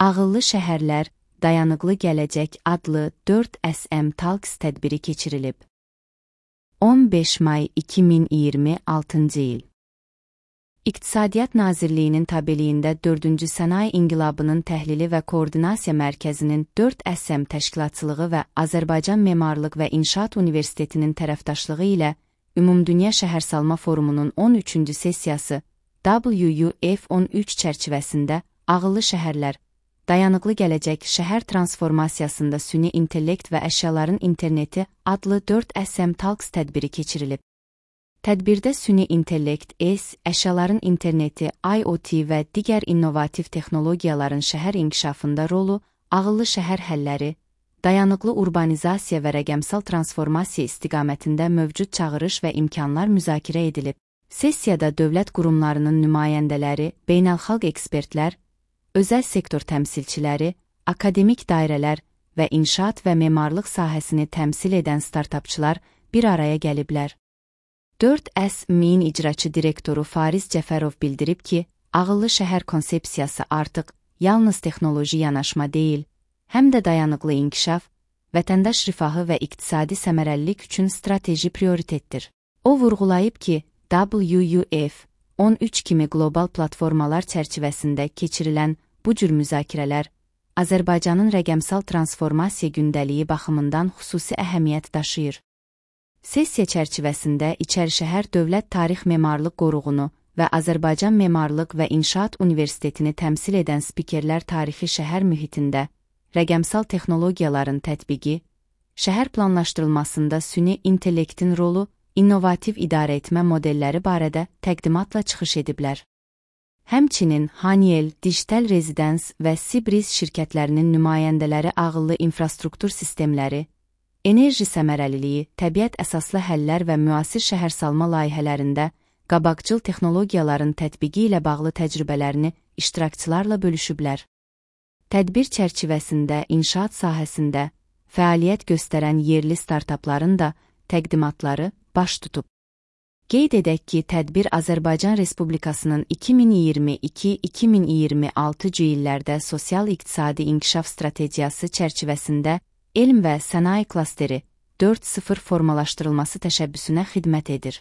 Ağıllı şəhərlər, dayanıqlı gələcək adlı 4SM Talks tədbiri keçirilib. 15 may 2026-cı il. İqtisadiyyat Nazirliyinin tabeliyində 4-cü Sənaye İnqilabının Təhlili və Koordinasiya Mərkəzinin 4SM təşkilatçılığı və Azərbaycan Memarlıq və İnşaat Universitetinin tərəfdaşlığı ilə Ümumdünya Şəhərsalma Forumunun 13-cü sessiyası WUF13 çərçivəsində ağıllı şəhərlər, dayanıqlı gələcək şəhər transformasiyasında süni intellekt və əşyaların interneti adlı 4SM Talks tədbiri keçirilib. Tədbirdə süni intellekt, əşyaların interneti, IoT və digər innovativ texnologiyaların şəhər inkişafında rolu, ağıllı şəhər həlləri, dayanıqlı urbanizasiya və rəqəmsal transformasiya istiqamətində mövcud çağırış və imkanlar müzakirə edilib. Sessiyada dövlət qurumlarının nümayəndələri, beynəlxalq ekspertlər, özəl sektor təmsilçiləri, akademik dairələr və inşaat və memarlıq sahəsini təmsil edən startapçılar bir araya gəliblər. 4SM-in icraçı direktoru Fariz Cəfərov bildirib ki, ağıllı şəhər konsepsiyası artıq yalnız texnoloji yanaşma deyil, həm də dayanıqlı inkişaf, vətəndaş rifahı və iqtisadi səmərəlilik üçün strateji prioritetdir. O vurğulayıb ki, WUF13 kimi qlobal platformalar çərçivəsində keçirilən bu cür müzakirələr Azərbaycanın rəqəmsal transformasiya gündəliyi baxımından xüsusi əhəmiyyət daşıyır. Sessiya çərçivəsində İçərişəhər Dövlət Tarix Memarlıq Qoruğunu və Azərbaycan Memarlıq və İnşaat Universitetini təmsil edən spikerlər tarixi şəhər mühitində, rəqəmsal texnologiyaların tətbiqi, şəhər planlaşdırılmasında süni intellektin rolu, innovativ idarəetmə modelləri barədə təqdimatla çıxış ediblər. Həmçinin Haniel, Digital Residence və Sibris şirkətlərinin nümayəndələri ağıllı infrastruktur sistemləri, enerji səmərəliliyi, təbiət əsaslı həllər və müasir şəhərsalma layihələrində qabaqcıl texnologiyaların tətbiqi ilə bağlı təcrübələrini iştirakçılarla bölüşüblər. Tədbir çərçivəsində inşaat sahəsində fəaliyyət göstərən yerli startapların da təqdimatları baş tutub. Qeyd edək ki, tədbir Azərbaycan Respublikasının 2022-2026-cı illərdə sosial-iqtisadi inkişaf strategiyası çərçivəsində elm və sənaye klasteri 4.0 formalaşdırılması təşəbbüsünə xidmət edir.